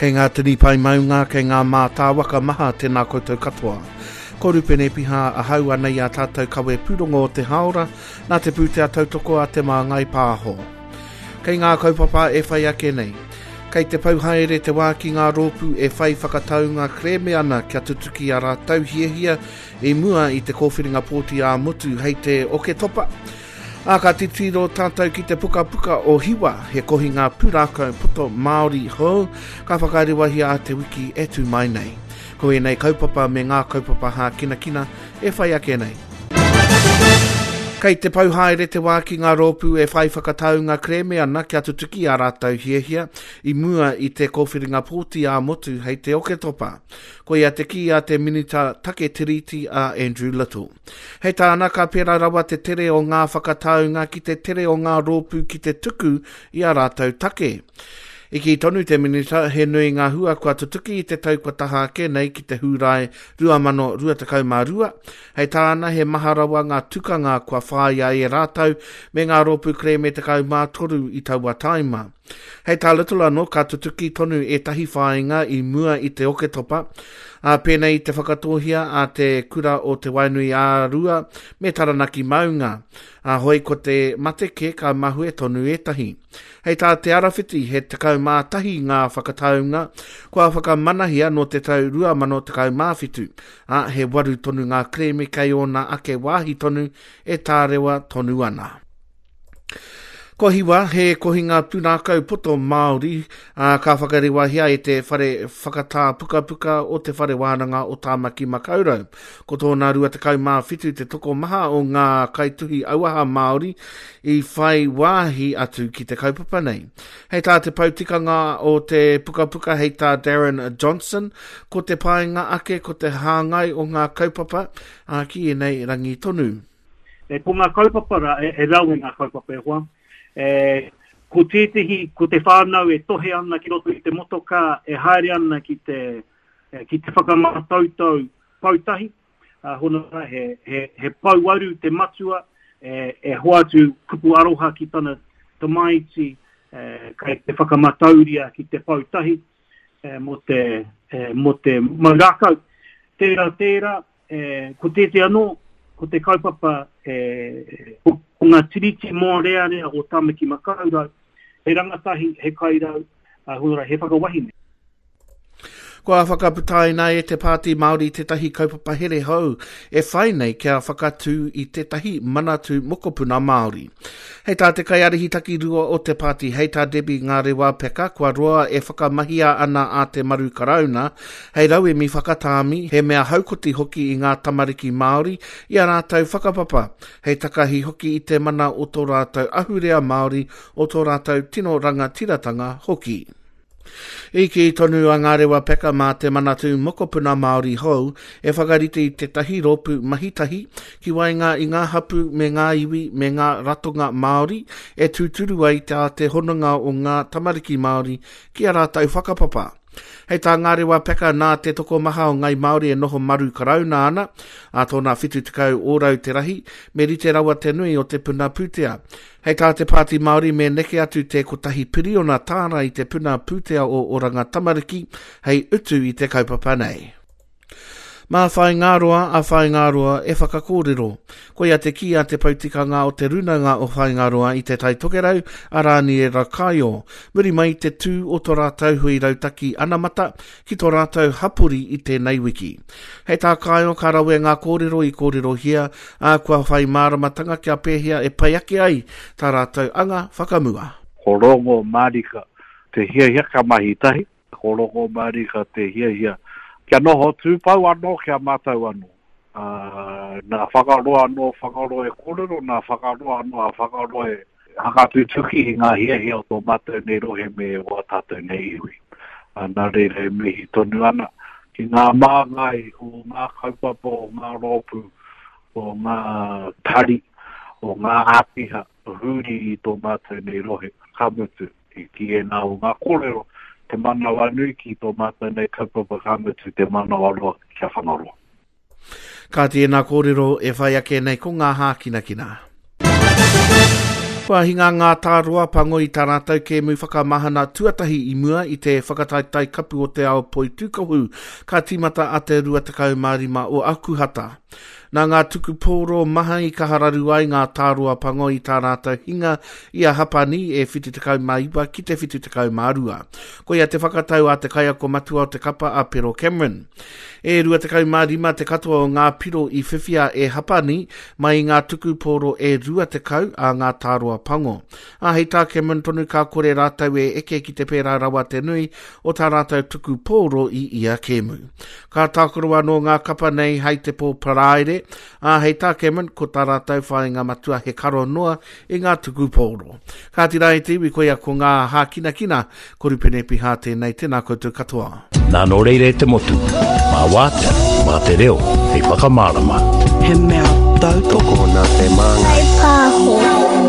Kei ngā tini pae maunga, kei ngā mātāwaka maha tēnā koutou katoa. Ko Rupene Piha ahau ana i a tātou kawe pūrongo o te hāora, nā te pūtea tautoko a Te Māngai Pāho. Kei ngā kaupapa e whai ake nei. Kei te pau haere te wā ki ngā rōpū e whai whakataunga kerēme ana kia tutuki ā rātou hiahia i mua i te kōwhiringa pōti ā-motu hei te Oketopa. Ā, ka titiro tātou ki te pukapuka o Hiwa, he kohinga pūrākau poto Māori hou ka whakarewahia a te wiki e tū mai nei. Ko ēnei kaupapa me ngā kaupapa hākinakina e whai ake nei. Kei te pau haere te wā ki ngā rōpū e whai whakataunga kerēme ana kia tutuki ā rātou hiahia i mua i te kōwhiringa pōti ā-motu hei te Oketopa. Koia te kī a te Minita Take Tiriti a Andrew Little. Hei tāna, ka pērā rawa te tere o ngā whakataunga ki te tere o ngā rōpū ki te tuku i ā rātou take. I kī tonu te Minita, he nui ngā hua kua tutuki i te tau kua taha ake nei ki te Hūrae 2022. Hei tāna, he maha rawa ngā tukanga kua whāia e rātou me ngā rōpū kerēme 13 i taua tāima. Hei tā Little anō, ka tutuki tonu ētahi whāinga i mua i te Oketopa, ā, pēnei i te whakatōhia a te Kura o Te Waenui-ā-Rua me Taranaki Maunga, ā, hoi ko te mate kē ka mahue tonu ētahi. Hei tā Te Arawhiti, he 11 ngā whakataunga kua whakamanahia nō te tau 2017, ā, he waru tonu ngā kerēme kei ōna ake wāhi tonu e tārewa tonu ana. Ko Hiwa, he kohinga pūrākau poto Māori, ā, ka whakarewahia e te Whare Whakatā Pukapuka o Te Whare Wānanga o Tāmaki Makaurau. Ko tōna 27 te tokomaha o ngā kaituhi auaha Māori i whai wāhi atu ki te kaupapa nei. Hei tā te pou tikanga o te pukapuka hei tā Darren Johnson, ko te painga ake ko te hāngai o ngā kaupapa, ā, ki ēnei rangi tonu. E, ko ngā kaupapa rā, e, e rawe ngā kaupapa e hoa. E, ko tētehi, ko te whānau e tohe ana ki roto i te motokā, e haere ana ki te, e, ki te whakamātautau poutahi, a, hona rā, he, he, he pouaru te matua, e, e hoatu kupu aroha ki tana tamaiti, e, kei te whakamatauria ki te poutahi, e, mō te, e, mō te mau rākau. Tērā, tērā, E, ko tētehi anō, ko te kaupapa, e, ko, ko ngā tiriti mōrearea o Tāmaki Makaurau, he rangatahi, he kairau, a, hora, he whakawahine. Kua whakaputaina e te Pāti Māori tētahi kaupapa here hou e whai nei kia whakatū i tētahi manatū mokopuna Māori. Hei tā te kaiārahi takirua o te pāti, hei tā Debbie Ngarewa Peka, kua roa e whakamahia ana a Te Maru Karauna hei rauemi whakatāmi, he mea haukoti hoki i ngā tamariki Māori i ā rātou whakapapa, hei takahi hoki i te mana o tō rātou ahurea Māori, o tō rātou tino rangatiratanga hoki. I kī tonu a Ngarewa Peka mā te Manatū Mokopuna Māori hou e whakarite i tētahi rōpū mahi tahi ki waenga i ngā hapū me ngā iwi me ngā ratonga Māori e tūturu ai tā te hononga o ngā tamariki Māori ki ā rātou whakapapa. Hei tā Ngarewa Peka nā te tokomaha o Ngai Māori e noho maru karauna ana, ā tōna 70 ōrau te rahi, me rite rawa te nui o te puna pūtea. Hei tā te Pāti Māori me neke atu te kotahi piriona tāra i te puna pūtea o Oranga Tamariki hei utu i te kaupapa nei. Mā Whāingaroa a Whāingaroa e whakakōrero. Koia te kī a te poutikanga o te Rūnanga o Whāingaroa i Te Tai Tokerau, a Rāniera Kaio, muri mai i te tū o tō rātou hui rautaki anamata ki tō rātou hapori i tēnei wiki. Hei tā Kaio ka rawe ngā kōrero i kōrerohia, ā, kua whai māramatanga kia pēhea e pai ake ai tā rātou anga whakamua. Ko Rongo Marika te hiahia kia mahi tahi, ko Rongo Marika te hiahia kia noho tūpou anō ki a mātou anō. Ā, nā Whangaroa anō Whangaroa e kōrero, nā Whangaroa anō a Whangaroa e Whakatutuki i ngā hiahia o tō mātou nei rohe me wā tātou nei iwi. Nā reira e mihi tonu ana ki ngā māngai o ngā kaupapa, o ngā rōpū, o ngā tari, o ngā āpiha huri i tō mātou nei rohe, ka mutu, ki ēnā o ngā kōrero, te manawanui ki tō mātou nei kaupapa, ka mutu, te manawaroa kia Whangaroa. Kāti ēnā kōrero e whai ake nei ko ngā hākinakina. Kua hinga ngā tāroa pango i tā rātou kēmu whakamahana tuatahi i mua i te whakataetae kapu o te ao poitūkohu ka tīmata a te 25 o Akuhata. Nā ngā tuku pōro maha i kaha raru ai ngā tāroa pango i tā rātou hinga i a Hapani e 79 ki te 72. Koia te whakatau a te kaiako matua o te kapa a Pero Cameron. E 25 te katoa o ngā piro i whiwhia e Hapani mai i ngā tuku pōro e 20 a ngā tāroa pango. Ā, hei tā Cameron tonu ka kore rātou e eke ki te pērā rawa te nui o tā rātou tuku pōro i ia kēmu. Ka tākaro anō ngā kapa nei hei te pō Paraire, ā, hei tā Cameron ko tā rātou whāinga matua he karo noa i ngā tuku pōro. Kāti rā e te iwi, koia ko ngā hākinakina, ko Rupene Pihā tēnei, tēnā koutou katoa. Nā nō reira e te motu, mā wātea, mā te reo, hei whakamārama. He mea tautoko nā te māngai. Pāho.